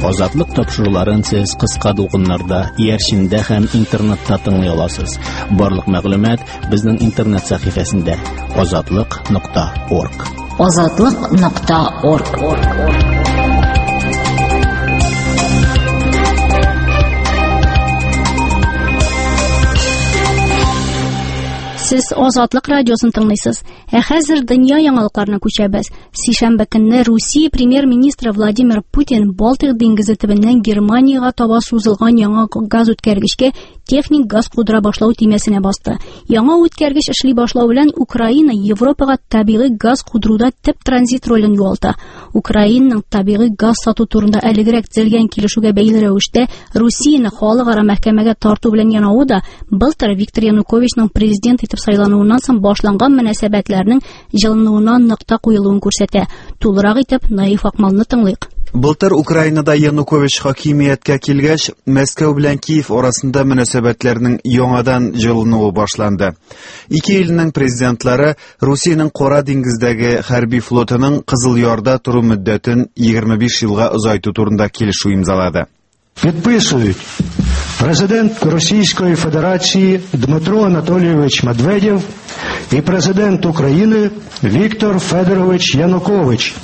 Азатлык тапшыруларын сез кыска дулкыннарда, иярчендә һәм интернетта тыңлый аласыз. Барлык мәгълүмат безнең интернет сәхифәсендә azatliq.org. Азатлык.орг. Сез Азатлык радиосын тыңлыйсыз. Ә хәзер дөнья яңалыкларына күчәбез. Сишәмбе көнне Русия премьер-министры Владимир Путин Балтыйк диңгезе төбеннән Германиягә таба сузылган яңа газ үткәргечкә техник газ кудыра башлау төймәсенә басты. Яңа үткәргеч эшли башлау белән Украина Европага табигый газ кудыруда төп транзит ролен югалта. Украинаның табигый газ сату турында әлегрәк төзелгән килешүгә бәйле рәвештә Русияне халыкара мәхкәмәгә тарту белән янавы да былтыр Виктор Януковичның президент итеп сайлануыннан соң башланган мөнәсәбәтләрнең җылынуына нокта куелуын күрсәтә. Тулырак итеп Наиф Акмалны тыңлыйк. Былтыр Украинада Янукович хакимияткә килгәч, Мәскәү белән Киев арасында мөнәсәбәтләрнең яңадан җылынуы башланды. Ике илнең президентлары Русиянең Кара диңгездәге хәрби флотының Кызыл Ярда тору мөддәтен 25 елга озайту турында килешү имзалады. Підписують президент Російської Федерації Дмитро Анатолійович Медведєв і президент України Віктор Федорович Янукович.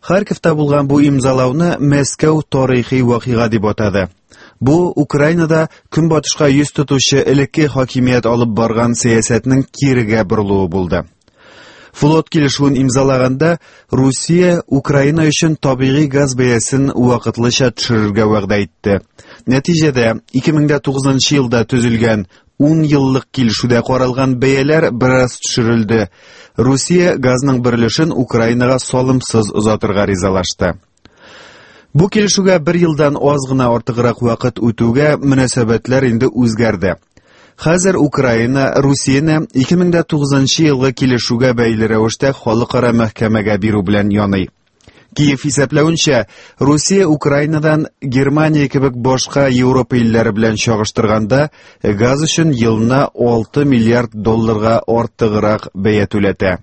Харьковта булган бу имзалауны Мәскәү тарихи вакыйга дип атады. Бу Украинада көнбатышка йөз тотучы элекке хакимият алып барган сәясәтнең кирегә борылуы булды. Флот килешүен имзалаганда Русия Украина өчен табигый газ бәясен вакытлыча төшерергә вәгъдә итте. Нәтиҗәдә 2009 елда төзелгән 10 еллык килешүдә каралган бәяләр бераз төшерелде. Русия газның бер өлешен Украинага салымсыз озатырга ризалашты. Бу килешүгә бер елдан аз гына артыграк вакыт үтүгә мөнәсәбәтләр инде үзгәрде. Хәзер Украина Русияне 2009 елгы килешүгә бәйле рәвештә халыкара мәхкәмәгә бирү белән яный. Киев исәпләвенчә, Русия Украинадан Германия кебек башка Европа илләре белән чагыштырганда газ өчен елына 6 миллиард долларга артыграк бәя түләтә.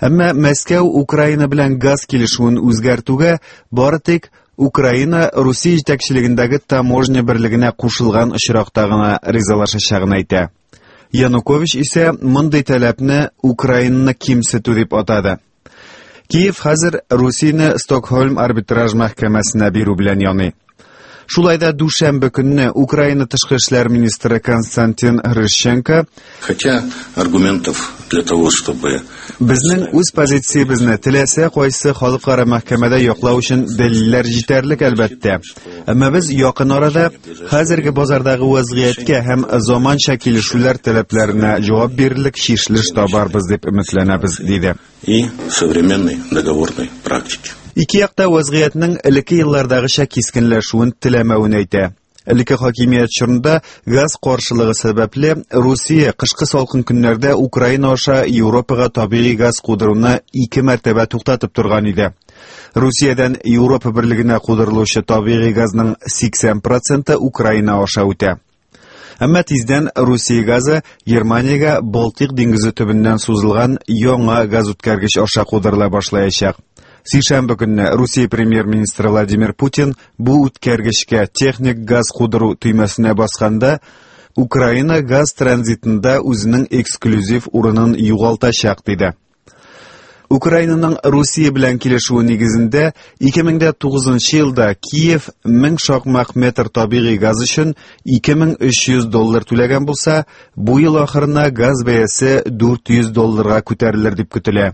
Әмма Мәскәү Украина белән газ килешүен үзгәртүгә бары тик Украина Русия җитәкчелегендәге таможня берлегенә кушылган очракта гына ризалашачагын әйтә. Янукович исә мондый таләпне Украинаны кимсетү дип атады. Киев хәзер Русияне Стокһольм арбитраж мәхкәмәсенә бирү белән яный. Шулай да дүшәмбе көнне Украина тышкы эшләр министры Константин Грищенко Хотя аргументов для того, чтобы Безнең үз позициябезне теләсә кайсы халыкара мәхкәмәдә яклау өчен дәлилләр җитәрлек әлбәттә. Әмма без якын арада хәзерге базардагы вазгыятькә һәм заманча килешүләр таләпләренә җавап бирерлек чишелеш табарбыз дип өметләнәбез, диде. и современной договорной практики. Ике якта вазгыятьнең элекке еллардагыча кискенләшүен теләмәвен әйтә. Элекке хакимият чорында газ каршылыгы сәбәпле Русия кышкы салкын көннәрдә Украина аша Европага табигый газ кудыруны ике мәртәбә туктатып торган иде. Русиядән Европа берлегенә кудырылучы табигый газның 80% Украина аша үтә. Әмма тиздән Русия газы Германиягә Балтыйк диңгезе төбеннән сузылган яңа газ үткәргеч аша кудырыла башлаячак. Сишәмбе көнне Русия премьер-министры Владимир Путин бу үткәргечкә техник газ кудыру төймәсенә басканда Украина газ транзитында үзенең эксклюзив урынын югалтачак диде. Украинаның Русия белән килешүе нигезендә 2009 елда Киев 1000 шакмак метр табигый газ өчен 2300 доллар түләгән булса, бу ел ахырына газ бәясе 400 долларга күтәрелер дип көтелә.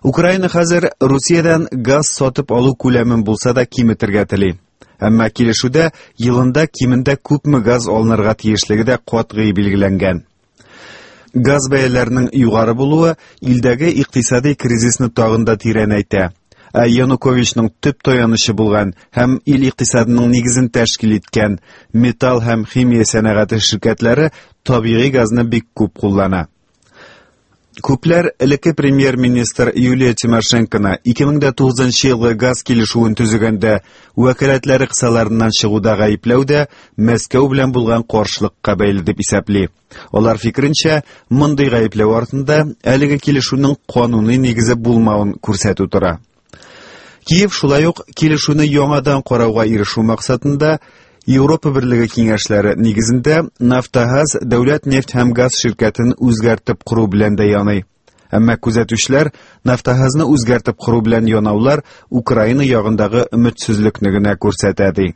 Украина хәзер Русиядән газ сатып алу күләмен булса да киметергә тели. Әмма килешүдә елында кимендә күпме газ алынырга тиешлеге дә катгый билгеләнгән. Газ бәяләренең югары булуы илдәге икътисади кризисны тагын да тирәнәйтә. Ә Януковичның төп таянычы булган һәм ил икътисадының нигезен тәшкил иткән металл һәм химия сәнәгате ширкәтләре табигый газны бик күп куллана. Күпләр элекке премьер-министр Юлия Тимошенконы 2009 елгы газ килешүен төзегәндә вәкаләтләре кысаларыннан чыгуда гаепләү дә Мәскәү белән булган каршылыкка бәйле дип исәпли. Алар фикеренчә, мондый гаепләү артында әлеге килешүнең кануни нигезе булмавын күрсәтү тора. Киев шулай ук килешүне яңадан карауга ирешү максатында Европа Берлеге киңәшләре нигезендә Нафтогаз дәүләт нефть һәм газ ширкәтен үзгәртеп кору белән дә яный. Әмма күзәтүчеләр Нафтогазны үзгәртеп кору белән янаулар Украина ягындагы өметсезлекне генә күрсәтә ди.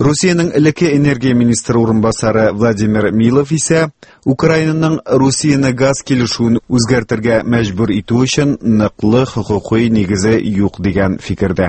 Русиянең элекке энергия министры урынбасары Владимир Милов исә Украинаның Русияне газ килешүен үзгәртергә мәҗбүр итү өчен ныклы хокукый нигезе юк дигән фикердә.